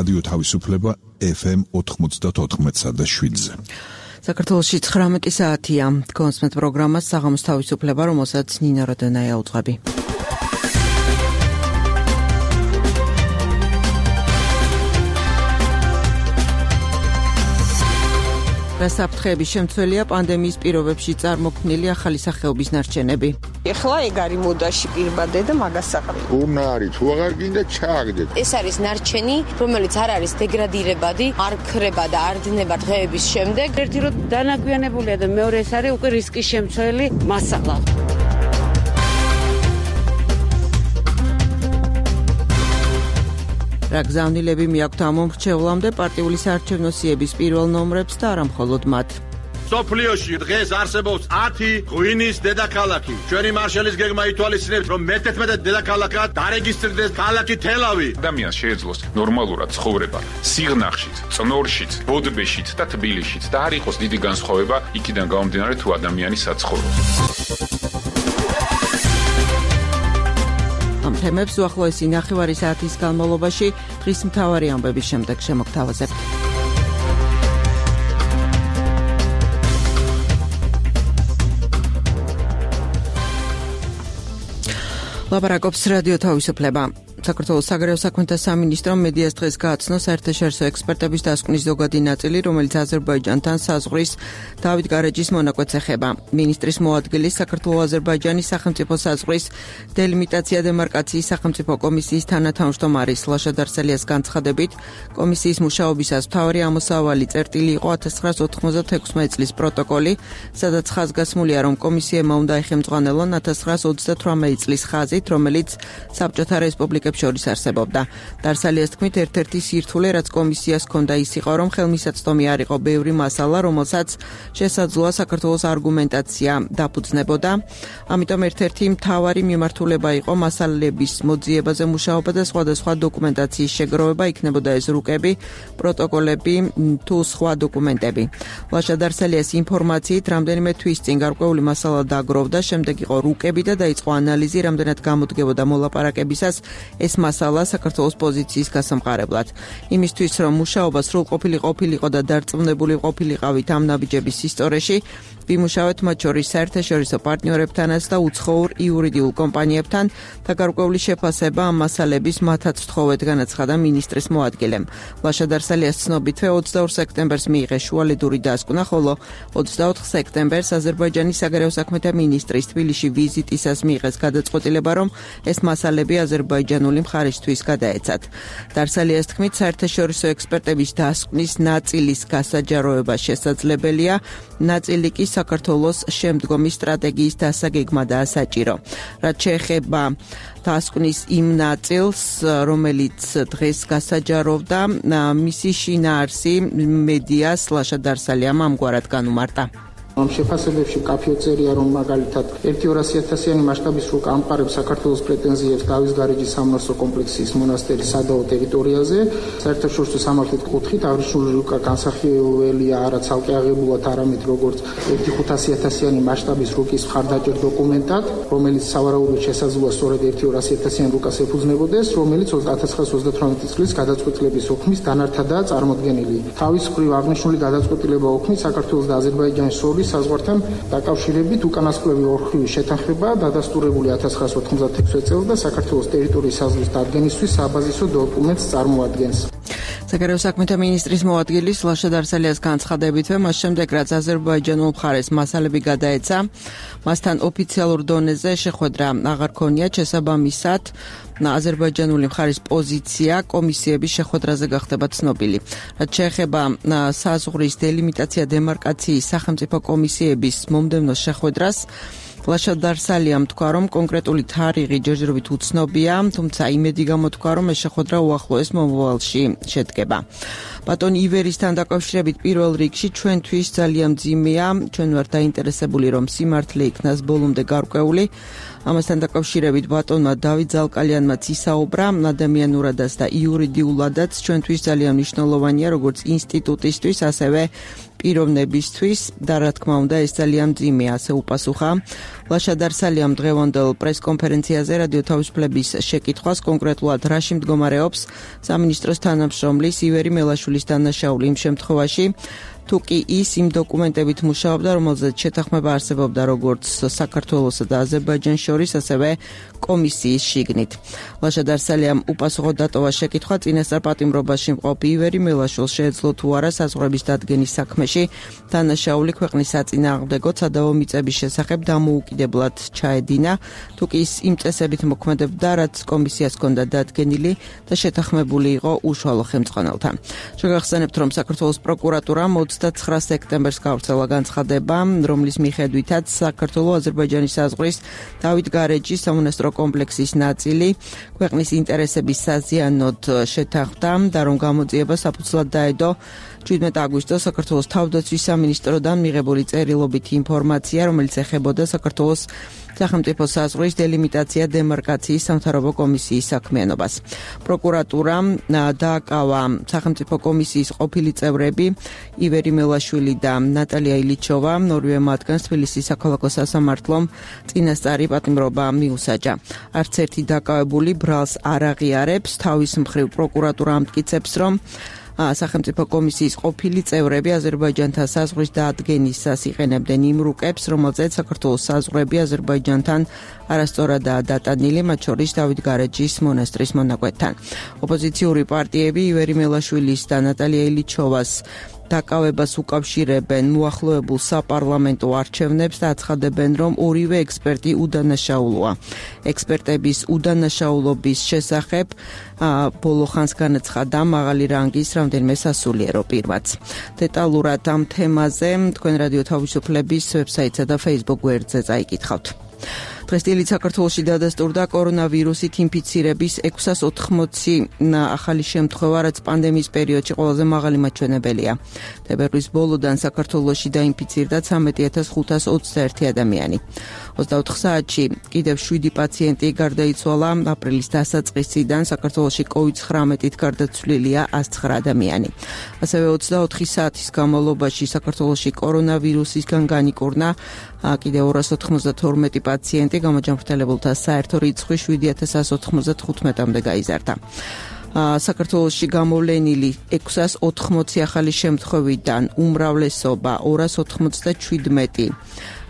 რადიო თავისუფლება FM 94.7-ზე. საქართველოში 19 საათია. კონსმეთ პროგრამას საღამოს თავისუფლება, რომელსაც ნინა როდონაია უძღვები. გასაფრთხეების შემცველია პანდემიის პირობებში წარმოქმნილი ახალი სახეობის ნარჩენები. ეხლა ეგ არის მოდაში პირბადე და მაგას საყრდენ. უნდა არის, თუ აღარ გინდა ჩააგდეთ. ეს არის ნარჩენი, რომელიც არ არის დეგრადირებადი, არ ქრება და არ დნება დღეების შემდეგ. ერთი რომ დანაგვიანებულია და მეორე ეს არის უკვე რისკის შემცველი მასალა. რა გზავნილები მიაქვთ ამ მომრჩევლამდე პარტიული საარჩევნო სიების პირველ ნომრებს და არა მხოლოდ მათ. სოფლიოში დღეს არსებობს 10 ღვინის დედაქალაქი. ჩვენი მარშალის გეგმა ითვალისწინებს, რომ მე-11 დედაქალაქად დარეგისტრდეს ქალაქი თელავი. ადამიანს შეეძლოს ნორმალურად ცხოვრება სიღნაღშიც, წნორშიც, ბოდბეშიც და თბილისშიც და არ იყოს დიდი განსხვავება იქიდან გამომდინარე თუ ადამიანი საცხოვრობს. ამ თემებს უახლოესი ნახევარი საათის განმავლობაში დღის მთავარი ამბების შემდეგ შემოგთავაზებთ. ლაპარაკობს რადიო თავისუფლება. საქართველოს საგარეო საქმეთა სამინისტრომ მედიას დღეს გააცნო საერთაშორისო ექსპერტების დასკვნის ზოგადი ნაწილი, რომელიც აზერბაიჯანთან საზღვრის დავით გარეჯის მონაკვეთს ეხება. მინისტრის მოადგილის საქართველოს-აზერბაიჯანის სახელმწიფო საზღვრის დელიმიტაცია დემარკაციის სახელმწიფო კომისიის თანათავმჯდომარის ლაშა დარსალიას განცხადებით, კომისიის მუშაობისას მთავარი ამოსავალი წერტილი იყო 1996 წლის პროტოკოლი, სადაც ხაზგასმულია, რომ კომისიებმა უნდა ეხემწყვალონ 1938 წლის ხაზით, რომელიც საბჭოთა რესპუბლიკებს შორის არსებობდა. დარსალიას თქმით, ერთ-ერთი სირთულე, რაც კომისიას ჰქონდა, ის იყო, რომ ხელმისაწვდომი არ იყო ბევრი მასალა, რომელსაც შესაძლოა საქართველოს არგუმენტაცია დაფუძნებოდა. ამიტომ ერთ-ერთი მთავარი მიმართულება იყო მასალების მოძიებაზე მუშაობა და სხვადასხვა დოკუმენტაციის შეგროვება, იქნებოდა ეს რუკები, პროტოკოლები თუ სხვა დოკუმენტები. ლაშა დარსალიას ინფორმაციით, რამდენიმე თვის წინ გარკვეული მასალა დაგროვდა, შემდეგ იყო რუკები და დაიწყო ანალიზი, რამდენად გამოდგებოდა მოლაპარაკებისას ეს მასალა საქართველოს პოზიციის გასამყარებლად. იმისთვის, რომ მუშაობა სრულყოფილი ყოფილიყო და დარწმუნებული ყოფილიყავით ამ ნაბიჯების ისტორიაში, ვიმუშავეთ მათ შორის საერთაშორისო პარტნიორებთანაც და უცხოურ იურიდიულ კომპანიებთან და გარკვეული შეფასება ამ მასალების მათაც ვთხოვეთ, განაცხადა მინისტრის მოადგილემ. ლაშა დარსალიას ცნობითვე 22 სექტემბერს მიიღეს შუალედური დასკვნა, ხოლო 24 სექტემბერს აზერბაიჯანის საგარეო საქმეთა მინისტრის თბილისში ვიზიტისას მიიღეს გადაწყვეტილება, რომ ეს მასალები აზერბაიჯანული მხარისთვის გადაეცათ. დარსალიას თქმით, საერთაშორისო ექსპერტების დასკვნის ნაწილის გასაჯაროება შესაძლებელია, ნაწილი კი საქართველოს შემდგომი სტრატეგიის დასაგეგმა და საჭირო. რაც შეეხება დასკვნის იმ ნაწილს, რომელიც დღეს გასაჯაროვდა, მისი შინაარსი მედიას ლაშა დარსალიამ ამგვარად განუმარტა. ამ შეფასებებში კაფიო წერია, რომ მაგალითად 1.200.000-იანი მასშტაბის რუკა ამყარებს საქართველოს პრეტენზიებს დავის გარეჯის სამონასტრო კომპლექსის მონასტერის სადავო ტერიტორიაზე. საერთაშორისო სამართლით კუთხით აღნიშნული რუკა განსახილველია არა ცალკე აღებულად, არამედ როგორც 1.500.000-იანი მასშტაბის რუკის მხარდაჭერ დოკუმენტად, რომელიც სავარაუდოდ შესაძლოა სწორედ 1.200.000-იანი რუკას ეფუძნებოდეს, რომელიც 1938 წლის გადაწყვეტილების ოქმის დანართადაა წარმოდგენილი. თავის მხრივ აღნიშნული გადაწყვეტილება ოქმის საქართველოს და აზერბაიჯანის შორის საზღვართან დაკავშირებით უკანასკნელი ორხრივი შეთანხმება დადასტურებული 1996 წელს და საქართველოს ტერიტორიის საზღვრის დადგენისთვის საბაზისო დოკუმენტს წარმოადგენს. საგარეო საქმეთა მინისტრის მოადგილის ლაშა დარსალიას განცხადებითვე, მას შემდეგ რაც აზერბაიჯანულ მხარეს მასალები გადაეცა, მასთან ოფიციალურ დონეზე შეხვედრა აღარ ქონია, შესაბამისად აზერბაიჯანული მხარის პოზიცია კომისიების შეხვედრაზე გახდება ცნობილი. რაც შეეხება საზღვრის დელიმიტაცია დემარკაციის სახელმწიფო კომისიების მომდევნო შეხვედრას, ლაშა დარსალიამ თქვა, რომ კონკრეტული თარიღი ჯერჯერობით უცნობია, თუმცა იმედი გამოთქვა, რომ ეს შეხვედრა უახლოეს მომავალში შედგება. ბატონ ივერისთან დაკავშირებით პირველ რიგში ჩვენთვის ძალიან მძიმეა, ჩვენ ვართ დაინტერესებული, რომ სიმართლე იქნას ბოლომდე გარკვეული. ამასთან დაკავშირებით ბატონმა დავით ზალკალიანმაც ისაუბრა, ადამიანურადაც და იურიდიულადაც ჩვენთვის ძალიან მნიშვნელოვანია, როგორც ინსტიტუტისთვის, ასევე პიროვნებისთვის და რა თქმა უნდა ეს ძალიან მძიმეა, ასე უპასუხა ლაშა დარსალიამ დღევანდელ პრესკონფერენციაზე რადიო თავისუფლების შეკითხვას, კონკრეტულად რაში მდგომარეობს სამინისტროს თანამშრომლის ივერი მელაშვილის დანაშაული იმ შემთხვევაში, თუ კი ის იმ დოკუმენტებით მუშაობდა, რომელზეც შეთანხმება არსებობდა როგორც საქართველოსა და აზერბაიჯანს შორის, ასევე კომისიის შიგნით. ლაშა დარსალიამ უპასუხო დატოვა შეკითხვა წინასწარ პატიმრობაში მყოფ ივერი მელაშვილს შეეძლო თუ არა საზღვრების დადგენის საქმეში დანაშაული ქვეყნის საწინააღმდეგოდ სადავო მიწების შესახებ დამოუკიდებლად ჩაედინა, თუ კი ის იმ წესებით მოქმედებდა, რაც კომისიას ჰქონდა დადგენილი და შეთანხმებული იყო უშუალო ხელმძღვანელთან. შეგახსენებთ, რომ საქართველოს პროკურატურამ 29 სექტემბერს გავრცელა განცხადება, რომლის მიხედვითაც საქართველოს აზერბაიჯანის საზღვრის დავით გარეჯის სამონასტრო კომპლექსის ნაწილი ქვეყნის ინტერესების საზიანოდ შეთანხმდა და რომ გამოძიება საფუძვლად დაედო 17 აგვისტოს საქართველოს თავდაცვის სამინისტროდან მიღებული წერილობითი ინფორმაცია, რომელიც ეხებოდა საქართველოს სახელმწიფო საზღვრის დელიმიტაცია დემარკაციის სამთავრობო კომისიის საქმიანობას. პროკურატურამ დააკავა სახელმწიფო კომისიის ყოფილი წევრები ივერი მელაშვილი და ნატალია ილიჩოვა, ორივე მათგანს თბილისის საქალაქო სასამართლომ წინასწარი პატიმრობა მიუსაჯა. არც ერთი დაკავებული ბრალს არ აღიარებს, თავის მხრივ პროკურატურა ამტკიცებს, რომ სახელმწიფო კომისიის ყოფილი წევრები აზერბაიჯანთან საზღვრის დაადგენისას იყენებდნენ იმ რუკებს, რომელზეც საქართველოს საზღვრები აზერბაიჯანთან არასწორადაა დატანილი, მათ შორის დავით გარეჯის მონასტრის მონაკვეთთან. ოპოზიციური პარტიები ივერი მელაშვილის და ნატალია ილიჩოვას დაკავებას უკავშირებენ მოახლოებულ საპარლამენტო არჩევნებს და აცხადებენ, რომ ორივე ექსპერტი უდანაშაულოა. ექსპერტების უდანაშაულობის შესახებ ბოლო ხანს განაცხადა მაღალი რანგის რამდენიმე სასულიერო პირმაც. დეტალურად ამ თემაზე თქვენ რადიო თავისუფლების ვებსაიტსა და Facebook გვერდზე წაიკითხავთ. დღესდღეობით საქართველოში დადასტურდა კორონავირუსით ინფიცირების 680 ახალი შემთხვევა, რაც პანდემიის პერიოდში ყველაზე მაღალი მაჩვენებელია. თებერვლის ბოლოდან საქართველოში დაინფიცირდა 13,521 ადამიანი. 24 საათში კიდევ 7 პაციენტი გარდაიცვალა. აპრილის დასაწყისიდან საქართველოში COVID-19-ით გარდაცვლილია 109 ადამიანი. ასევე 24 საათის განმავლობაში საქართველოში კორონავირუსისგან განიკურნა კიდევ 292 პაციენტი, გამოჯანმრთელებულთა საერთო რიცხვი 7195-მდე გაიზარდა. საქართველოში გამოვლენილი 680 ახალი შემთხვევიდან უმრავლესობა 297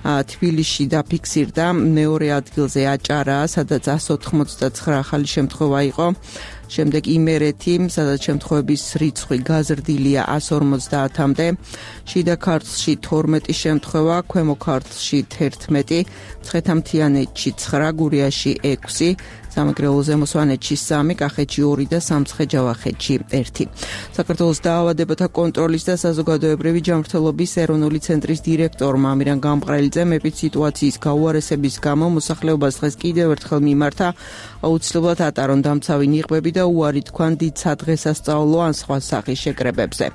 თბილისში დაფიქსირდა, მეორე ადგილზე აჭარაა, სადაც 189 ახალი შემთხვევა იყო. შემდეგ იმერეთი, სადაც შემთხვევების რიცხვი გაზრდილია 150-მდე, შიდა ქართლში 12 შემთხვევა, ქვემო ქართლში 11, მცხეთა-მთიანეთში 9, გურიაში 6, სამეგრელო ზემო სვანეთში 3, კახეთში 2 და სამცხე-ჯავახეთში 1. საქართველოს დაავადებათა კონტროლის და საზოგადოებრივი ჯანმრთელობის ეროვნული ცენტრის დირექტორმა ამირან გამყრელიძემ ეპიდსიტუაციის გაუარესების გამო მოსახლეობას დღეს კიდევ ერთხელ მიმართა აუცილებლად ატარონ დამცავი ნიღბები და უარი თქვან დიდ სადღესასწაულო ან სხვა სახის შეკრებებზე.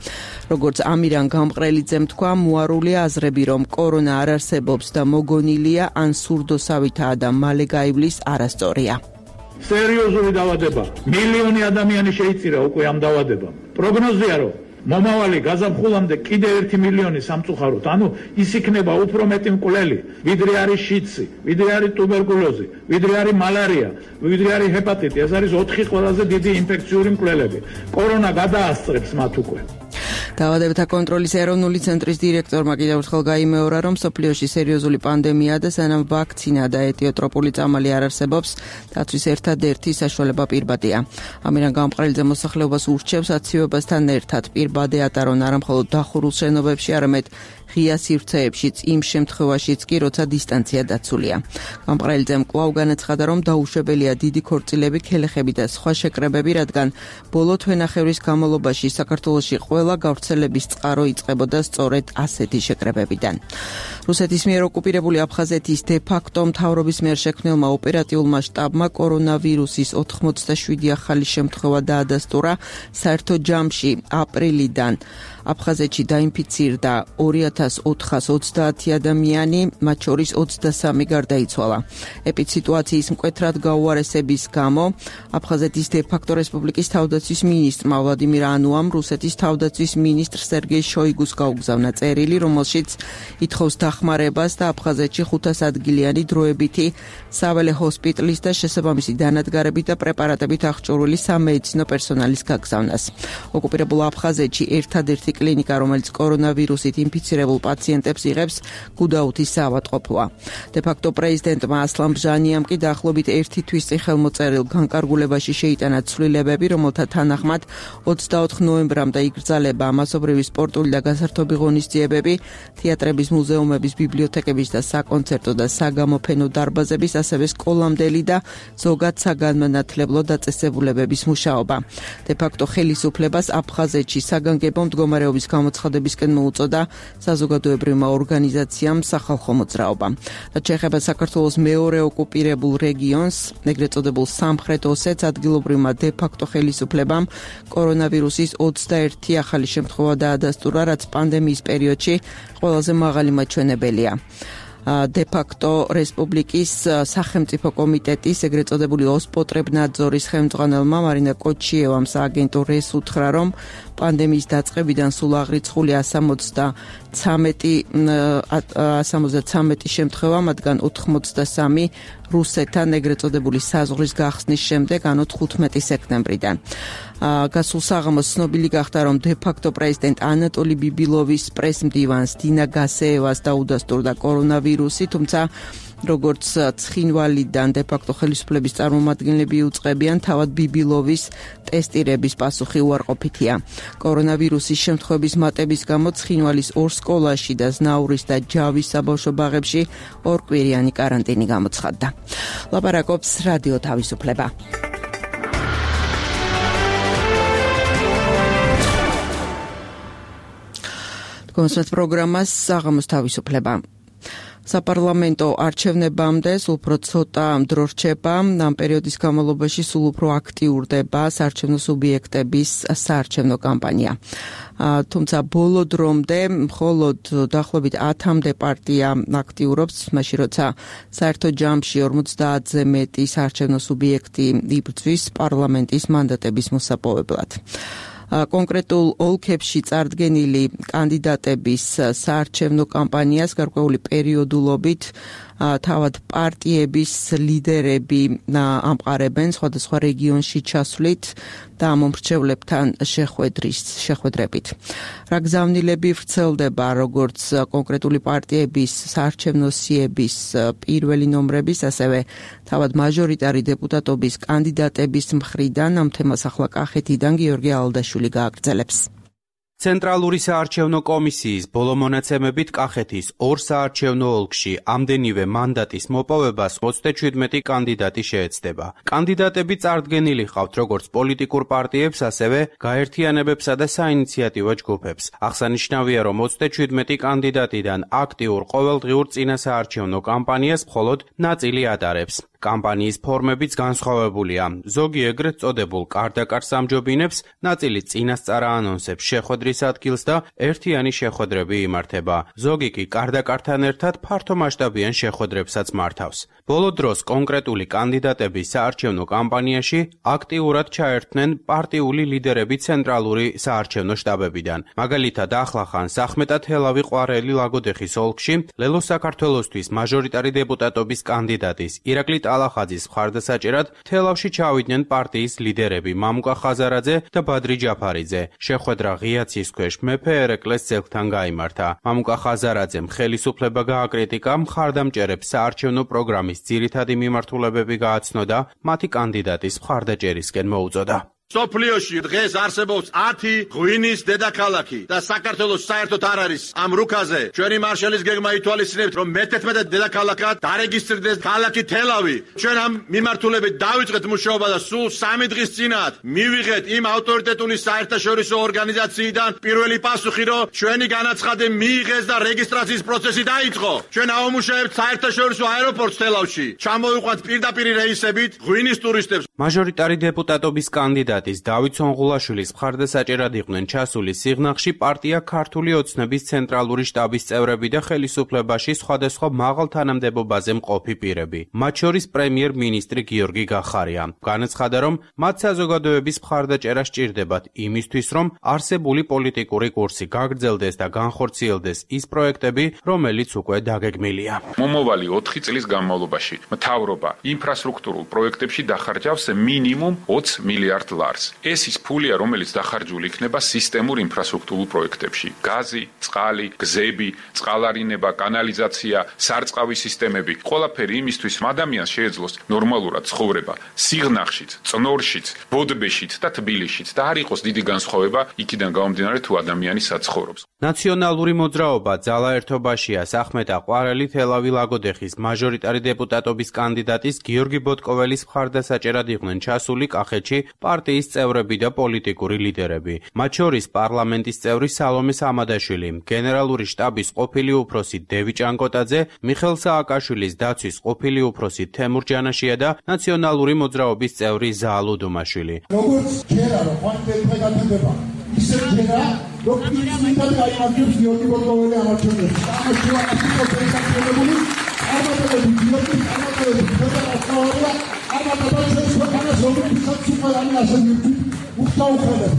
როგორც ამირან გამყრელიძემ თქვა, მოარული აზრები, რომ კორონა არ არსებობს და მოგონილია ან სურდოსავითაა და მალე გაივლის, არასწორია. სერიოზული დაავადება. მილიონი ადამიანი შეიწირა უკვე ამ დაავადებამ. პროგნოზია, რომ მომავალი გაზაფხულამდე კიდევ 1 მილიონი სამწუხაროდ, ანუ ის იქნება უფრო მეტი მკვლელი, ვიდრე არის შიდსი, ვიდრე არის ტუბერკულოზი, ვიდრე არის მალარია, ვიდრე არის ჰეპატიტი. ეს არის 4 ყველაზე დიდი ინფექციური მკვლელები. კორონა გადაასწრებს მათ უკვე. დაავადებათა კონტროლის ეროვნული ცენტრის დირექტორმა კიდევ ერთხელ გაიმეორა, რომ მსოფლიოში სერიოზული პანდემია და სანამ ვაქცინა და ეტიოტროპული წამალი არ არსებობს, დაცვის ერთადერთი საშუალება პირბადია. ამირან გამყრელიძე მოსახლეობას ურჩევს აცივებასთან ერთად პირბადე ატარონ არა მხოლოდ დახურულ შენობებში, არამედ ღია სივრცეებშიც, იმ შემთხვევაშიც კი, როცა დისტანცია დაცულია. გამყრელიძემ კვლავ განაცხადა, რომ დაუშვებელია დიდი ქორწილები, ქელეხები და სხვა შეკრებები, რადგან ბოლო თვენახევრის განმავლობაში საქართველოში ყველა გავრცელების წყარო იწყებოდა სწორედ ასეთი შეკრებებიდან. რუსეთის მიერ ოკუპირებული აფხაზეთის დე-ფაქტო მთავრობის მიერ შექმნილმა ოპერატიულმა შტაბმა კორონავირუსის 87 ახალი შემთხვევა დაადასტურა. საერთო ჯამში აფხაზეთში დაინფიცირდა 2430 ადამიანი, მათ შორის 23 გარდაიცვალა. ეპიდსიტუაციის მკვეთრად გაუარესების გამო აფხაზეთის დე-ფაქტო რესპუბლიკის თავდაცვის მინისტრმა ვლადიმირ ანუამ რუსეთის თავდაცვის მინისტრ სერგეი შოიგუს გაუგზავნა წერილი, რომელშიც ითხოვს დახმარებას და აფხაზეთში 500 ადგილიანი დროებითი საველე ჰოსპიტალის და შესაბამისი დანადგარებით და პრეპარატებით აღჭურვილი სამედიცინო პერსონალის გაგზავნას. ოკუპირებულ აფხაზეთში ერთადერთი კლინიკა, რომელიც კორონავირუსით ინფიცირებულ პაციენტებს იღებს, გუდაუთის საავადმყოფოა. დე-ფაქტო პრეზიდენტმა ასლან ბჟანიამ კი დაახლოებით ერთი თვის წინ ხელმოწერილ განკარგულებაში შეიტანა ცვლილებები, რომელთა თანახმად 24 ნოემბრამდე იგრძელება მასობრივი სპორტული და გასართობი ღონისძიებები, თეატრების, მუზეუმების, ბიბლიოთეკების და საკონცერტო და საგამოფენო დარბაზების, ასევე სკოლამდელი და ზოგად საგანმანათლებლო დაწესებულებების მუშაობა. დე-ფაქტო ხელისუფლებას აფხაზეთში საგანგებო მდგომარეობის გამოცხადებისკენ მოუწოდა საზოგადოებრივმა ორგანიზაციამ სახალხო მოძრაობა. რაც შეეხება საქართველოს მეორე ოკუპირებულ რეგიონს, ეგრეთ წოდებულ სამხრეთ ოსეთს, ადგილობრივმა დე-ფაქტო ხელისუფლებამ კორონავირუსის 21 ახალი შემთხვევა დაადასტურა, რაც პანდემიის პერიოდში ყველაზე მაღალი მაჩვენებელია. დე-ფაქტო რესპუბლიკის სახელმწიფო კომიტეტის ეგრეთ წოდებული ოსპოტრებნაძორის ხელმძღვანელმა მარინა კოჩიევამ სააგენტო რეს უთხრა, რომ პანდემიის დაწყებიდან სულ აღრიცხული 173 შემთხვევა, მათგან 83 რუსეთთან ეგრეთ წოდებული საზღვრის გახსნის შემდეგ, ანუ 15 სექტემბრიდან. გასულ საღამოს ცნობილი გახდა, რომ დე-ფაქტო პრეზიდენტ ანატოლი ბიბილოვის პრესმდივანს დინა გასეევას დაუდასტურდა კორონავირუსი, თუმცა როგორც ცხინვალიდან დე-ფაქტო ხელისუფლების წარმომადგენლები უწყებიან, თავად ბიბილოვის ტესტირების პასუხი უარყოფითია. კორონავირუსის შემთხვევების მატების გამო ცხინვალის 2 სკოლაში და ზნაურის და ჯავის საბავშვო ბაღებში 2 კვირიანი კარანტინი გამოცხადდა. ლაპარაკობს რადიო თავისუფლება. გონსვეთ პროგრამას საღამოს თავისუფლება. საპარლამენტო არჩევნებამდე სულ უფრო ცოტა დრო რჩება, ამ პერიოდის განმავლობაში სულ უფრო აქტიურდება საარჩევნო სუბიექტების საარჩევნო კამპანია. თუმცა ბოლო დრომდე მხოლოდ დაახლოებით 10-მდე პარტია აქტიურობს, მაშინ როცა საერთო ჯამში 50-ზე მეტი საარჩევნო სუბიექტი იბრძვის პარლამენტის მანდატების მოსაპოვებლად. კონკრეტულ ოლქებში წარდგენილი კანდიდატების საარჩევნო კამპანიას გარკვეული პერიოდულობით თავად პარტიების ლიდერები ამყარებენ სხვადასხვა რეგიონში ჩასვლით და მომრჩევლებთან შეხვედრებით. რა გზავნილები ვრცელდება როგორც კონკრეტული პარტიების საარჩევნო სიების პირველი ნომრების, ასევე თავად მაჟორიტარი დეპუტატობის კანდიდატების მხრიდან. ამ თემას ახლა კახეთიდან გიორგი ალდაშვილი გააგრძელებს. ცენტრალური საარჩევნო კომისიის ბოლო მონაცემებით კახეთის 2 საარჩევნო ოლქში ამდენივე მანდატის მოპოვებას 37 კანდიდატი შეეცდება. კანდიდატები წარდგენილი ჰყავთ როგორც პოლიტიკურ პარტიებს, ასევე გაერთიანებებსა და საინიციატივო ჯგუფებს. აღსანიშნავია, რომ 37 კანდიდატიდან აქტიურ ყოველდღიურ წინასაარჩევნო კამპანიას მხოლოდ ნაწილი ატარებს. კამპანიის ფორმებიც განსხვავებულია. ზოგი ეგრეთ წოდებულ კარდაკარ სამჯობინებს, ნაწილი წინასწარ ანონსებს შეხვედრის ადგილს და ერთიანი შეხვედრები იმართება. ზოგი კი კარდაკართან ერთად ფართომასშტაბიან შეხვედრებსაც მართავს. ბოლო დროს კონკრეტული კანდიდატების საარჩევნო კამპანიაში აქტიურად ჩაერთნენ პარტიული ლიდერები ცენტრალური საარჩევნო შტაბებიდან. მაგალითად, ახლახანს ახმეტა თელავი ყვარელი ლაგოდეხის ოლქში ლელო საქართველოსთვის მაჟორიტარი დეპუტატობის კანდიდატის ირაკლი ალახაძის მხარდასაჭერად თელავში ჩავიდნენ პარტიის ლიდერები მამუკა ხაზარაძე და ბადრი ჯაფარიძე. შეხვედრა ღიაცის ქვეშ მეფე ერეკლეს ძეგლთან გაიმართა. მამუკა ხაზარაძემ ხელისუფლება გააკრიტიკა, მხარდამჭერებს საარჩევნო პროგრამის ძირითადი მიმართულებები გააცნო და მათი კანდიდატის მხარდაჭერისკენ მოუწოდა. სოფლიოში დღეს არსებობს 10 ღვინის დედაქალაქი და საქართველოს საერთოდ არ არის ამ რუკაზე. ჩვენი მარშალის გეგმა ითვალისწინებთ, რომ მე-11 დედაქალაქად დარეგისტრდეს ქალაქი თელავი. ჩვენ ამ მიმართულებით დავიწყეთ მუშაობა და სულ 3 დღის წინათ მივიღეთ იმ ავტორიტეტული საერთაშორისო ორგანიზაციიდან პირველი პასუხი, რომ ჩვენი განაცხადი მიიღეს და რეგისტრაციის პროცესი დაიწყო. ჩვენ ავმუშავებთ საერთაშორისო აეროპორტს თელავში. ჩამოვიყვანთ პირდაპირ რეისებით ღვინის ტურისტებს. მაჟორიტარი დეპუტატობის კანდიდატი კანდიდატის დავით სონღულაშვილის მხარდასაჭერად იყვნენ ჩასული სიღნაღში პარტია ქართული ოცნების ცენტრალური შტაბის წევრები და ხელისუფლებაში სხვადასხვა მაღალ თანამდებობაზე მყოფი პირები, მათ შორის პრემიერ-მინისტრი გიორგი გახარია. განაცხადა, რომ მათ საზოგადოების მხარდაჭერა სჭირდებათ იმისთვის, რომ არსებული პოლიტიკური კურსი გაგრძელდეს და განხორციელდეს ის პროექტები, რომელიც უკვე დაგეგმილია. მომავალი 4 წლის განმავლობაში მთავრობა ინფრასტრუქტურულ პროექტებში დახარჯავს მინიმუმ 20 მილიარდ ლარს. ეს ის ფულია, რომელიც დახარჯული იქნება სისტემურ ინფრასტრუქტურულ პროექტებში: გაზი, წყალი, გზები, წყალარინება, კანალიზაცია, სარწყავი სისტემები. ყველაფერი იმისთვის, რომ ადამიანს შეეძლოს ნორმალურად ცხოვრება სიღნაღშიც, წნორშიც, ბოდბეშიც და თბილისშიც და არ იყოს დიდი განსხვავება იქიდან გამომდინარე თუ ადამიანი საცხოვრობს. ნაციონალური მოძრაობა ძალა ერთობაშია სახმეტა ყვარელი თელავი ლაგოდეხის მაჟორიტარი დეპუტატობის კანდიდატის გიორგი ბოტკოველის მხარდასაჭერად იყვნენ ჩასული კახეთში პარტიის წევრები და პოლიტიკური ლიდერები. მათ შორის პარლამენტის წევრი სალომე სამადაშვილი, გენერალური შტაბის ყოფილი უფროსი დევი ჭანკოტაძე, მიხელ სააკაშვილის დაცვის ყოფილი უფროსი თემურ ჯანაშია და ნაციონალური მოძრაობის წევრი ზაალო დუმაშვილი. როგორც ჯერა რომ ხვალინდელი გაგდება, ისე ჯერა რომ ისინი გაიმარჯვებს გიორგი ბოტკოველი ამარჩევნებს. ამაშუა ასიკოპელი საკუთრებული ამატებები გიორგი ამატებები ფედერაცია ამატებებს ქვეყანას რომელსაც სუპერანი ასე მივხვით უხდაუხელებ.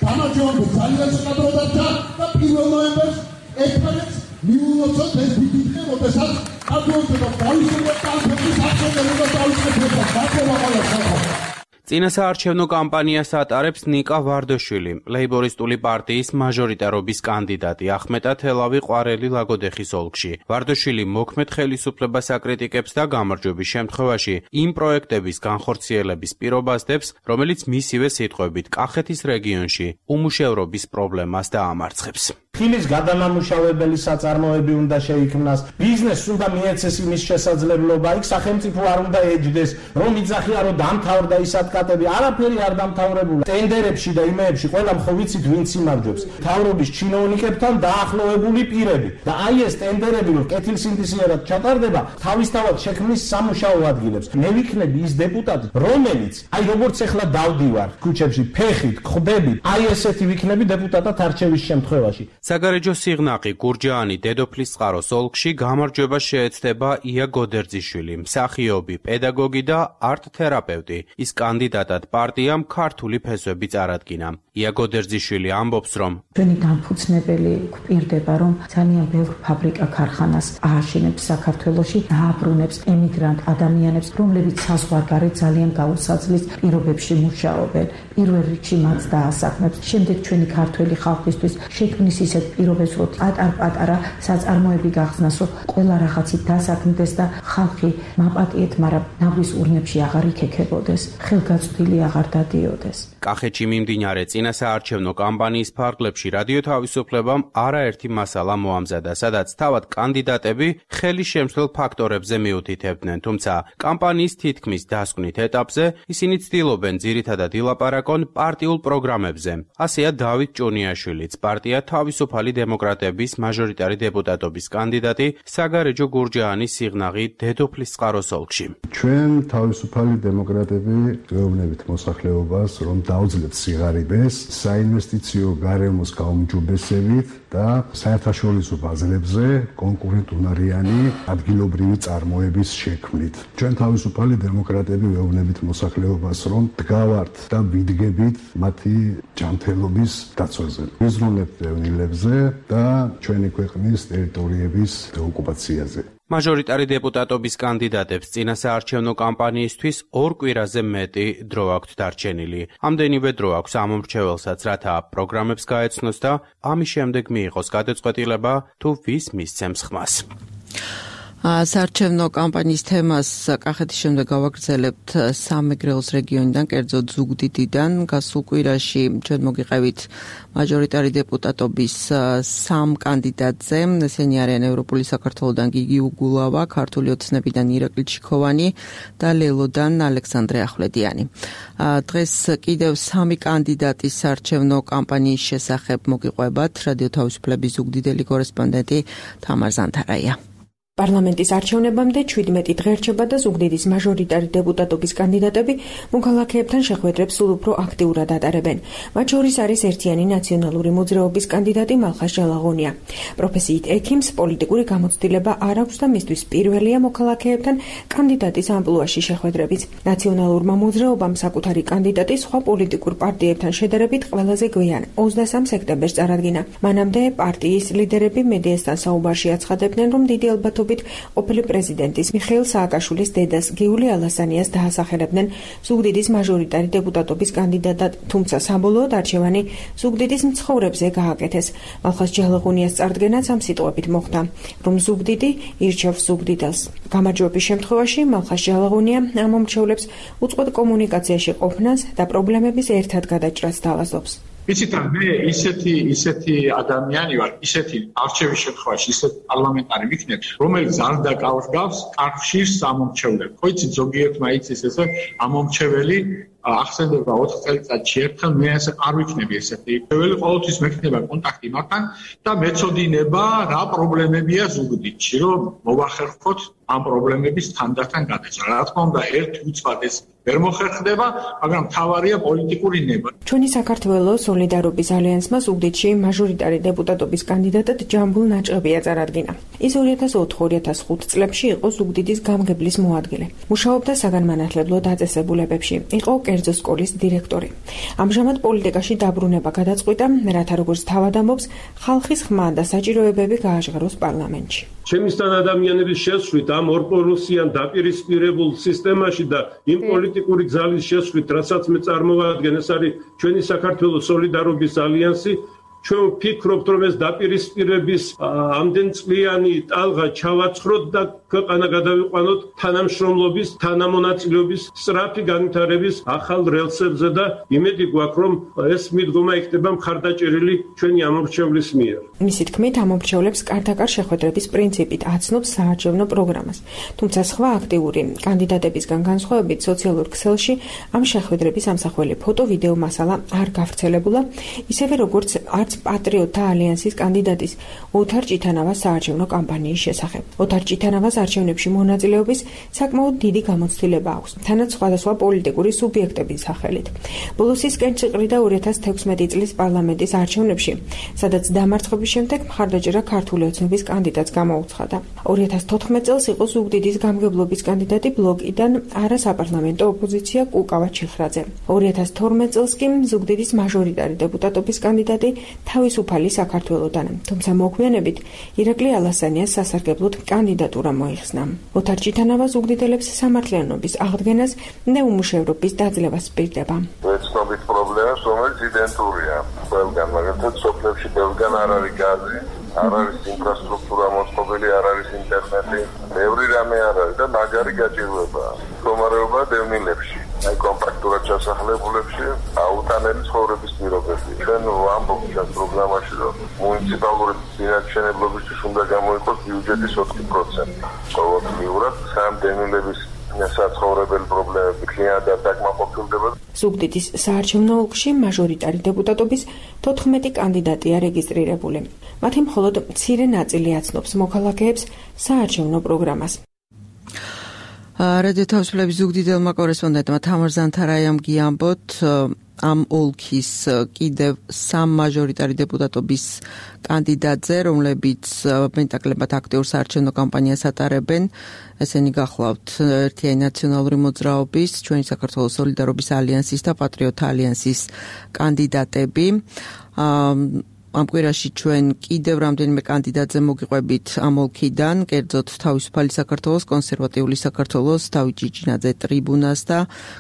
დამაჯობთ ძალიან ცოტა და პირველ ნოემბერს ერთმანეთს მიულოცოთ ეს დიდი დღე, როდესაც გადავდება დაისურვა კანფეტის აღწერა და დაისურვა გაკეთება. წინასაარჩევნო კამპანიას ატარებს ნიკა ვარდოშვილი, ლეიბორისტული პარტიის მაჟორიტარობის კანდიდატი ახმეტა თელავი ყვარელი ლაგოდეხის ოლქში. ვარდოშვილი მოქმედ ხელისუფლებას აკრიტიკებს და გამარჯვების შემთხვევაში იმ პროექტების განხორციელების პირობას დებს, რომელიც მისივე სიტყვებით კახეთის რეგიონში უმუშევრობის პრობლემას დაამარცხებს. ხილის გადამამუშავებელი საწარმოები უნდა შეიქმნას, ბიზნესს უნდა მიეცეს იმის შესაძლებლობა, იქ სახელმწიფო არ უნდა ეჯდეს, რომ იძახია რომ დამთავრდა ის ატკატები, არაფერი არ დამთავრებულა. ტენდერებში და იმეებში ყველა ხო ვიცით ვინც იმარჯვებს. მთავრობის ჩინოვნიკებთან დაახლოებული პირები. და აი ეს ტენდერები რომ კეთილსინდისიერად ჩატარდება, თავისთავად შექმნის სამუშაო ადგილებს. მე ვიქნები ის დეპუტატი, რომელიც აი როგორც ახლა დავდივარ ქუჩებში ფეხით, ხვდებით, აი ესეთი ვიქნები დეპუტატად არჩევის შემთხვევაში. საგარეჯო სიღნაღი გურჯაანი დედოფლის წყაროს ოლქში გამარჯვება შეეცდება ია გოდერძიშვილი, მსახიობი, პედაგოგი და არტ-თერაპევტი. ის კანდიდატად პარტიამ ქართული ფესვები წარადგინა. ია გოდერძიშვილი ამბობს, რომ ჩვენი დამფუძნებელი გვპირდება, რომ ძალიან ბევრ ფაბრიკა ქარხანას ააშენებს საქართველოში, დააბრუნებს ემიგრანტ ადამიანებს, რომლებიც საზღვარგარეთ ძალიან გაუსაძლის პირობებში მუშაობენ. პირველ რიგში მათ დაასახმებს. შემდეგ ჩვენი ქართველი ხალხისთვის შექმნის ისეთ პირობებს, რომ პატარ-პატარა საწარმოები გახსნას, რომ ყველა რაღაცით დასაქმდეს და ხალხი მაპატიეთ, მაგრამ ნავრის ურნებში აღარ იქექებოდეს, ხელგაწვდილი აღარ დადიოდეს. კახეთში მიმდინარე წინასაარჩევნო კამპანიის ფარგლებში რადიო თავისუფლებამ არაერთი მასალა მოამზადა, სადაც თავად კანდიდატები ხელის შემცვლელ ფაქტორებზე მიუთითებდნენ, თუმცა კამპანიის თითქმის დასკვნით ეტაპზე ისინი ცდილობენ ძირითადად ილაპარაკონ პარტიულ პროგრამებზე. ასეა დავით ჭუნიაშვილიც, პარტია თავისუფალი დემოკრატების მაჟორიტარი დეპუტატობის კანდიდატი საგარეჯო გურჯაანის სიღნაღი დედოფლის წყაროს ოლქში. ჩვენ თავისუფალი დემოკრატები ვეუბნებით მოსახლეობას, რომ დაუძლებთ სიღარიბეს, საინვესტიციო გარემოს გაუმჯობესებით და საერთაშორისო ბაზრებზე კონკურენტუნარიანი ადგილობრივი წარმოების შექმნით. ჩვენ თავისუფალი დემოკრატები ვეუბნებით მოსახლეობას, რომ დგავართ და ვიდგებით მათი ჯანმრთელობის დაცვაზე. ვიზრუნებთ ევნილებზე და ჩვენი ქვეყნის ტერიტორიების დეოკუპაციაზე. მაჟორიტარი დეპუტატობის კანდიდატებს წინასაარჩევნო კამპანიისთვის 2 კვირაზე მეტი დრო აქვთ დარჩენილი. ამდენივე დრო აქვს ამ მრჩეველსაც, რათა პროგრამებს გაეცნოს და ამის შემდეგ მიიღოს გადაწყვეტილება, თუ ვის მისცემს ხმას. საარჩევნო კამპანიის თემას კახეთის შემდეგ გავაგრძელებთ სამეგრელოს რეგიონიდან, კერძოდ ზუგდიდიდან. გასულ კვირაში ჩვენ მოგიყევით მაჟორიტარი დეპუტატობის 3 კანდიდატზე. ესენი არიან ევროპული საქართველოდან გიგი უგულავა, ქართული ოცნებიდან ირაკლი ჩიქოვანი და ლელოდან ალექსანდრე ახვლედიანი. დღეს კიდევ 3 კანდიდატის საარჩევნო კამპანიის შესახებ მოგიყვებათ რადიო თავისუფლების ზუგდიდელი კორესპონდენტი თამარ ზანთარაია. პარლამენტის არჩევნებამდე 17 დღე რჩება და ზუგდიდის მაჟორიტარი დეპუტატობის კანდიდატები მოქალაქეებთან შეხვედრებს სულ უფრო აქტიურად ატარებენ. მათ შორის არის ერთიანი ნაციონალური მოძრაობის კანდიდატი მალხაზ ჯალაღონია. პროფესიით ექიმს პოლიტიკური გამოცდილება არ აქვს და მისთვის პირველია მოქალაქეებთან კანდიდატის ამპლუაში შეხვედრებიც. ნაციონალურმა მოძრაობამ საკუთარი კანდიდატი სხვა პოლიტიკურ პარტიებთან შედარებით ყველაზე გვიან 23 სექტემბერს წარადგინა. მანამდე პარტიის ლიდერები მედიასთან საუბარში აცხადებდნენ, რომ დიდი ალბათობით ყოფილი პრეზიდენტის მიხეილ სააკაშვილის დედას გიული ალასანიას დაასახელებდნენ ზუგდიდის მაჟორიტარი დეპუტატობის კანდიდატად, თუმცა საბოლოოდ არჩევანი ზუგდიდის მცხოვრებზე გააკეთეს. მალხაზ ჯალაღონიას წარდგენაც ამ სიტყვებით მოხდა, რომ ზუგდიდი ირჩევს ზუგდიდელს. გამარჯვების შემთხვევაში მალხაზ ჯალაღონია ამ მომრჩევლებს უწყვეტ კომუნიკაციაში ყოფნას და პრობლემების ერთად გადაჭრას თავაზობს. იცით რა, მე ისეთი ადამიანი ვარ, ისეთი არჩევის შემთხვევაში ისეთი პარლამენტარი ვიქნებ, რომელიც არ დაკავავს კარხშირს ამომრჩევლებს. ხო იცით, ზოგიერთმა იცის ესე ამომრჩეველი ახსენდება 4 წელიწადში ერთხელ, მე ასე არ ვიქნები ესეთი. პირველი ყოველთვის მექნება კონტაქტი მათთან და მეწოდინება რა პრობლემებია ზუგდიდში, რომ მოვახერხოთ ამ პრობლემების თანდათან გადაჭრა. რა თქმა უნდა, ერთი უცბად ეს ვერ მოხერხდება, მაგრამ მთავარია პოლიტიკური ნება. ჩვენი საქართველოს სოლიდარობის ალიანსმა ზუგდიდში მაჟორიტარი დეპუტატობის კანდიდატად ჯამბულ ნაჭყებია წარადგინა. ის 2004-2005 წლებში იყო ზუგდიდის გამგებლის მოადგილე. მუშაობდა საგანმანათლებლო დაწესებულებებში. იყო კერძო სკოლის დირექტორი. ამჟამად პოლიტიკაში დაბრუნება გადაწყვიტა, რათა როგორც თავად ამბობს, ხალხის ხმა და საჭიროებები გააჟღეროს პარლამენტში. ჩემისთან ადამიანების შესვლით ამ ორპოლუსიან დაპირისპირებულ სისტემაში და იმ პოლიტიკური გზალის შესვლით, რასაც მე წარმოვადგენ, ეს არის ჩვენი საქართველოს სოლიდარობის ალიანსი. ჩვენ ვფიქრობთ, რომ ეს დაპირისპირების ამდენწლიანი ტალღა ჩავაცხროთ და ქვეყანა გადავიყვანოთ თანამშრომლობის, თანამონაწილეობის, სწრაფი განვითარების ახალ რელსებზე და იმედი გვაქვს, რომ ეს მიდგომა იქნება მხარდაჭერილი ჩვენი ამომრჩევლის მიერ. მისი თქმით, ამომრჩევლებს კარდაკარ შეხვედრების პრინციპით აცნობს საარჩევნო პროგრამას. თუმცა სხვა აქტიური კანდიდატებისგან განსხვავებით სოციალურ ქსელში ამ შეხვედრების ამსახველი ფოტო-ვიდეო მასალა არ გავრცელებულა, ისევე როგორც არც პატრიოტთა ალიანსის კანდიდატის ოთარ ჭითანავას საარჩევნო კამპანიის შესახებ. ოთარ ჭითანავას არჩევნებში მონაწილეობის საკმაოდ დიდი გამოცდილება აქვს, თანაც სხვადასხვა პოლიტიკური სუბიექტების სახელით. ბოლოს ის კენჭიყრიდა 2016 წლის პარლამენტის არჩევნებში, სადაც დამარცხების შემდეგ მხარდაჭერა ქართული ოცნების კანდიდატს გამოუცხადა. 2014 წელს იყო ზუგდიდის გამგებლობის კანდიდატი ბლოკიდან არასაპარლამენტო ოპოზიცია კუკავა ჩიხრაძე. 2012 წელს კი ზუგდიდის მაჟორიტარი დეპუტატობის კანდიდატი თავისუფალი საქართველოდან, თუმცა მოგვიანებით ირაკლი ალასანიას სასარგებლოდ კანდიდატურა მოიხსნა. ოთარ ჭითანავა ზუგდიდელებს სამართლიანობის აღდგენას და უმუშევრობის დაძლევას პირდება. ვეცნობით პრობლემას, რომელიც იდენტურია ყველგან, მაგალითად სოფლებში ყველგან არ არის გაზი, არ არის ინფრასტრუქტურა მოწყობილი, არ არის ინტერნეტი, ბევრი რამე არ არის და მაგარი გაჭირვებაა. მდგომარეობა დევნილებში, აი კომპაქტურად ჩასახლებულებში, აუტანელი ცხოვრების პირობები. ჩვენ ვამბობთ ამ პროგრამაში, რომ მუნიციპალური წინააღმდეგობისთვის უნდა გამოიყოს ბიუჯეტის 4%. ყოველდღიურად სამ დევნილების საცხოვრებელი პრობლემები ქლიანად დაკმაყოფილდება. ზუგდიდის საარჩევნო ოლქში მაჟორიტარი დეპუტატობის 14 კანდიდატია რეგისტრირებული. მათი მხოლოდ მცირე ნაწილი აცნობს მოქალაქეებს საარჩევნო პროგრამას. რადიო თავისუფლების ზუგდიდელმა კორესპონდენტმა თამარ ზანთარაიამ გიამბოთ ამ ოლქის კიდევ სამ მაჟორიტარი დეპუტატობის კანდიდატზე, რომლებიც მეტაკლებად აქტიურ საარჩევნო კამპანიას ატარებენ. ესენი გახლავთ ერთიანი ნაციონალური მოძრაობის, ჩვენი საქართველოს სოლიდარობის ალიანსის და პატრიოტთა ალიანსის კანდიდატები. ამ კვირაში ჩვენ კიდევ რამდენიმე კანდიდატზე მოგიყვებით ამ ოლქიდან, კერძოდ თავისუფალი საქართველოს, კონსერვატიული საქართველოს, დავით ჭიჭინაძე ტრიბუნას და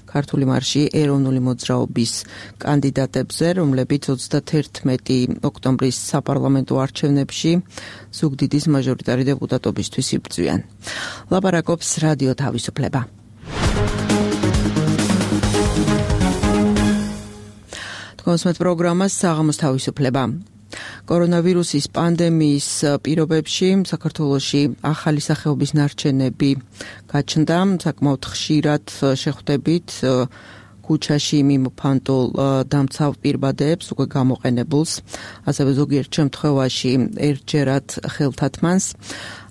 ქართული მარში ეროვნული მოძრაობის კანდიდატებზე, რომლებიც 31 ოქტომბრის საპარლამენტო არჩევნებში ზუგდიდის მაჟორიტარი დეპუტატობისთვის იბრძვიან. ლაპარაკობს რადიო თავისუფლება. თქვენს პროგრამას საღამოს თავისუფლება. კორონავირუსის პანდემიის პირობებში საქართველოში ახალი სახეობის ნარჩენები გაჩნდა, საკმაოდ ხშირად შეხვდებით ქუჩაში მიმოფანტულ დამცავ პირბადეებს, უკვე გამოყენებულს, ასევე ზოგიერთ შემთხვევაში ერთჯერად ხელთათმანს.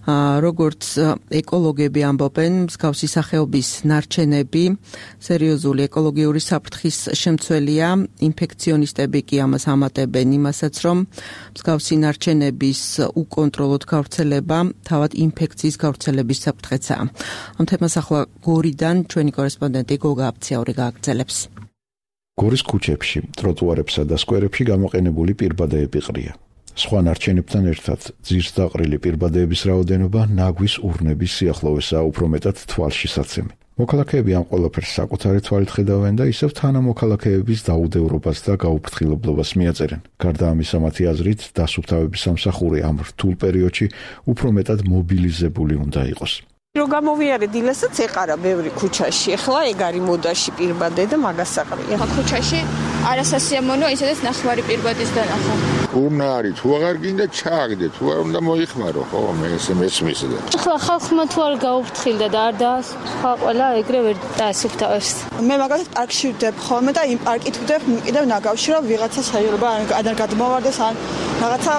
როგორც ეკოლოგები ამბობენ, მსგავსი სახეობის ნარჩენები სერიოზული ეკოლოგიური საფრთხის შემცველია. ინფექციონისტები კი ამას ამატებენ იმასაც, რომ მსგავსი ნარჩენების უკონტროლოდ გავრცელება თავად ინფექციის გავრცელების საფრთხეცაა. ამ თემას ახლა გორიდან ჩვენი კორესპონდენტი გოგა აფციაური გააგრძელებს. გორის ქუჩებში, ტროტუარებსა და სკვერებში გამოყენებული პირბადეები ყრია. სხვა ნარჩენებთან ერთად ძირს დაყრილი პირბადეების რაოდენობა ნაგვის ურნების სიახლოვესაა უფრო მეტად თვალშისაცემი. მოქალაქეები ამ ყველაფერს საკუთარი თვალით ხედავენ და ისევ თანამოქალაქეების დაუდევრობას და გაუფრთხილებლობას მიაწერენ. გარდა ამისა, მათი აზრით, დასუფთავების სამსახური ამ რთულ პერიოდში უფრო მეტად მობილიზებული უნდა იყოს. რო გამოვიარე დილასაც ეყარა ბევრი ქუჩაში. ეხლა ეგ არის მოდაში პირბადე და მაგას საყრია. ქუჩაში არასასიამოვნოა, ისედაც ნახევარი პირბადის დანახვა. უნდა არის, თუ აღარ გინდა ჩააგდე, თუ არ უნდა მოიხმარო, ხო, მე ესე მესმის და. ეხლა ხალხმა თუ არ გაუფრთხილდა და არ დაასუფთა ყველა ეგრე ვერ დაასუფთავებს. მე მაგალითად პარკში ვდებ ხოლმე და იმ პარკით ვდებ კიდევ ნაგავში, რომ ვიღაცა შეიძლება არ გადმოვარდეს ან რაღაცა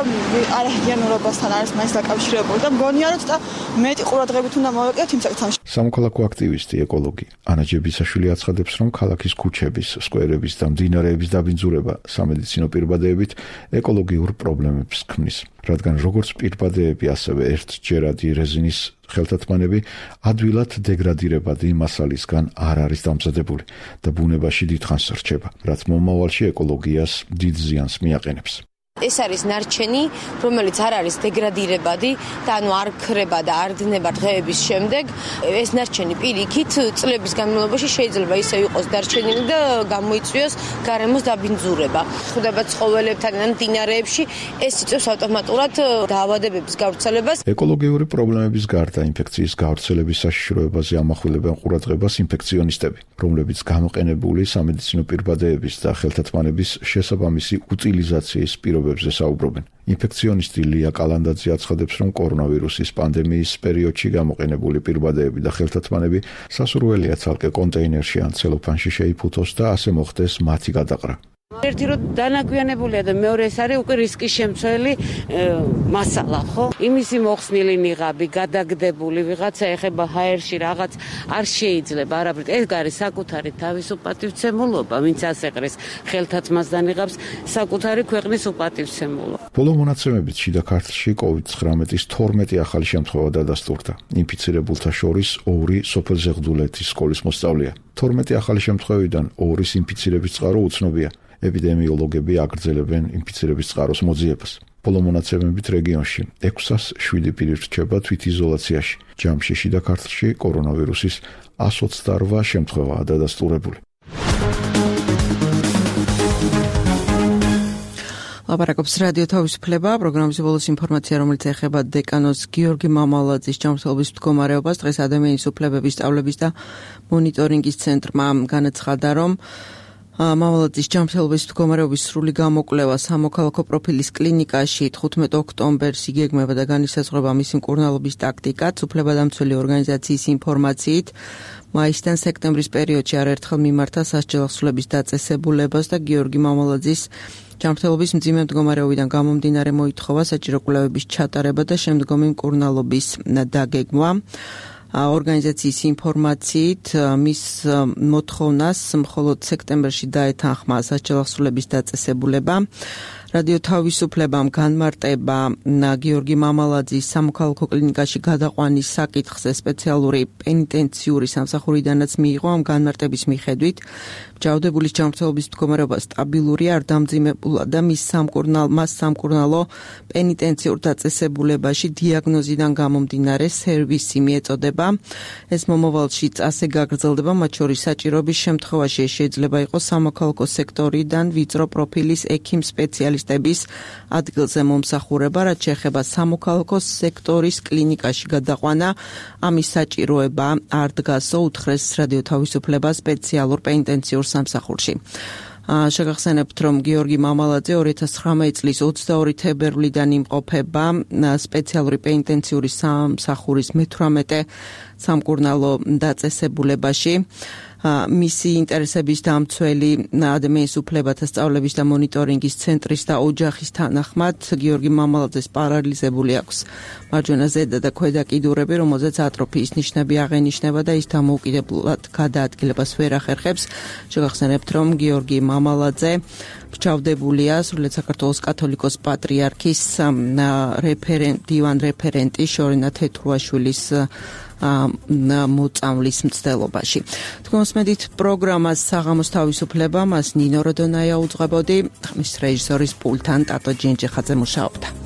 არაჰიგიენურობასთან არის მაინც დაკავშირებული და მგონია რომ ცოტა მეტი ყურადღებით უნდა მოვეკიდოთ იმ საკითხებში. სამოქალაქო აქტივისტი, ეკოლოგი ანა ჯებისაშვილი აცხადებს, რომ ქალაქის ქუჩების, სკვერების და მდინარეების დაბინძურება სამედიცინო პირბადეებით ეკოლოგიურ პრობლემებს ქმნის, რადგან როგორც პირბადეები, ასევე ერთჯერადი რეზინის ხელთათმანები ადვილად დეგრადირებადი მასალისგან არ არის დამზადებული და ბუნებაში დიდხანს რჩება, რაც მომავალში ეკოლოგიას დიდ ზიანს მიაყენებს. ეს არის ნარჩენი, რომელიც არ არის დეგრადირებადი და ანუ არ ქრება და არ დნება დღეების შემდეგ. ეს ნარჩენი პირიქით წლების განმავლობაში შეიძლება ისე იყოს დარჩენილი და გამოიწვიოს გარემოს დაბინძურება. ხვდება ცხოველებთან ან მდინარეებში, ეს იწვევს ავტომატურად დაავადებების გავრცელებას. ეკოლოგიური პრობლემების გარდა ინფექციის გავრცელების საშიშროებაზე ამახვილებენ ყურადღებას ინფექციონისტები, რომლებიც გამოყენებული სამედიცინო პირბადეების და ხელთათმანების შესაბამისი უტილიზაციის პირობებზე საუბრობენ. ინფექციონისტი ლია კალანდაძე აცხადებს, რომ კორონავირუსის პანდემიის პერიოდში გამოყენებული პირბადეები და ხელთათმანები სასურველია ცალკე კონტეინერში ან ცელოფანში შეიფუთოს და ასე მოხდეს მათი გადაყრა. ერთი რომ დანაგვიანებულია და მეორე ეს არის უკვე რისკის შემცველი მასალა, ხო? იმისი მოხსნილი ნიღაბი, გადაგდებული ვიღაცა ეხება ჰაერში რაღაც არ შეიძლება არაფრით. ეს არის საკუთარი თავის უპატივცემულობა, ვინც ასეყრის ხელთათმას და ნიღაბს, საკუთარი ქვეყნის უპატივცემულობა. ბოლო მონაცემებით შიდა ქართლში COVID-19-ის 12 ახალი შემთხვევა დადასტურდა. ინფიცირებულთა შორის 2 სოფელ-ზეღდულეთის სკოლის მოსწავლეა. 12 ახალი შემთხვევიდან 2-ის ინფიცირების წყარო უცნობია. ეპიდემიოლოგები აგრძელებენ ინფიცირების წყაროს მოძიებას. ბოლო მონაცემებით რეგიონში 607 პირი რჩება თვითიზოლაციაში. ჯამში შიდა ქართლში კორონავირუსის 128 შემთხვევაა დადასტურებული. ლაპარაკობს რადიო თავისუფლება, პროგრამის ბოლოს ინფორმაცია, რომელიც ეხება დეკანოს გიორგი მამალაძის ჯანმრთელობის მდგომარეობას. დღეს ადამიანის უფლებების სწავლების და მონიტორინგის ცენტრმა განაცხადა, რომ მამალაძის ჯანმრთელობის მდგომარეობის სრული გამოკვლევა სამოქალაქო პროფილის კლინიკაში 15 ოქტომბერს იგეგმება და განისაზღვრება მისი მკურნალობის ტაქტიკაც. უფლებადამცველი ორგანიზაციის ინფორმაციით მაისიდან სექტემბრის პერიოდში არაერთხელ მიმართა სასჯელ ახსულების დაწესებულებას და გიორგი მამალაძის ჯანმრთელობის მძიმე მდგომარეობიდან გამომდინარე მოითხოვა საჭირო კვლევების ჩატარება და შემდგომი მკურნალობის დაგეგმვა. ორგანიზაციის ინფორმაციით მის მოთხოვნას მხოლოდ სექტემბერში დაეთანხმა სასჯელ ახსულების დაწესებულება. რადიო თავისუფლებამ განმარტება გიორგი მამალაძის სამოქალაქო კლინიკაში გადაყვანის საკითხზე სპეციალური პენიტენციური სამსახურიდანაც მიიღო. ამ განმარტების მიხედვით ჭაუდებულის ჯანმრთელობის მდგომარეობა სტაბილურია, არ დამძიმებულა და მას სამკურნალო პენიტენციურ დაწესებულებაში დიაგნოზიდან გამომდინარე სერვისი მიეწოდება. ეს მომავალში წასე გაგრძელდება, მათ შორის საჭიროების შემთხვევაში შეიძლება იყოს სამოქალაქო სექტორიდან ვიწრო პროფილის ექიმ სპეციალისტების ადგილზე მომსახურება, რაც შეეხება სამოქალაქო სექტორის კლინიკაში გადაყვანა. ამის საჭიროება არ დგასო, უთხრეს რადიო თავისუფლება სპეციალურ პენიტენციურ სამსახურში. შეგახსენებთ, რომ გიორგი მამალაძე 2019 წლის 22 თებერვლიდან იმყოფება სპეციალური პენიტენციური სამსახურის მე-18 სამკურნალო დაწესებულებაში. მისი ინტერესების დამცველი ადამიანის უფლებათა სწავლების და მონიტორინგის ცენტრის და ოჯახის თანახმად გიორგი მამალაძეს პარალიზებული აქვს მარჯვენა ზედა და ქვედა კიდურები, რომელზეც ატროფიის ნიშნები აღენიშნება და ის დამოუკიდებლად გადაადგილებას ვერ ახერხებს. შეგახსენებთ, რომ გიორგი მამალაძე ბრჩავდებულია სრულიად საქართველოს კათოლიკოს პატრიარქის დივან რეფერენტი შორინა თეთრუაშვილის მოწამვლის მცდელობაში. თქვენს მედით პროგრამას საღამოს თავისუფლება, მას ნინო როდონაია უძღვებოდი, ხმის რეჟისორის პულთან ტატო ჯენჯეხაძე მუშაობდა.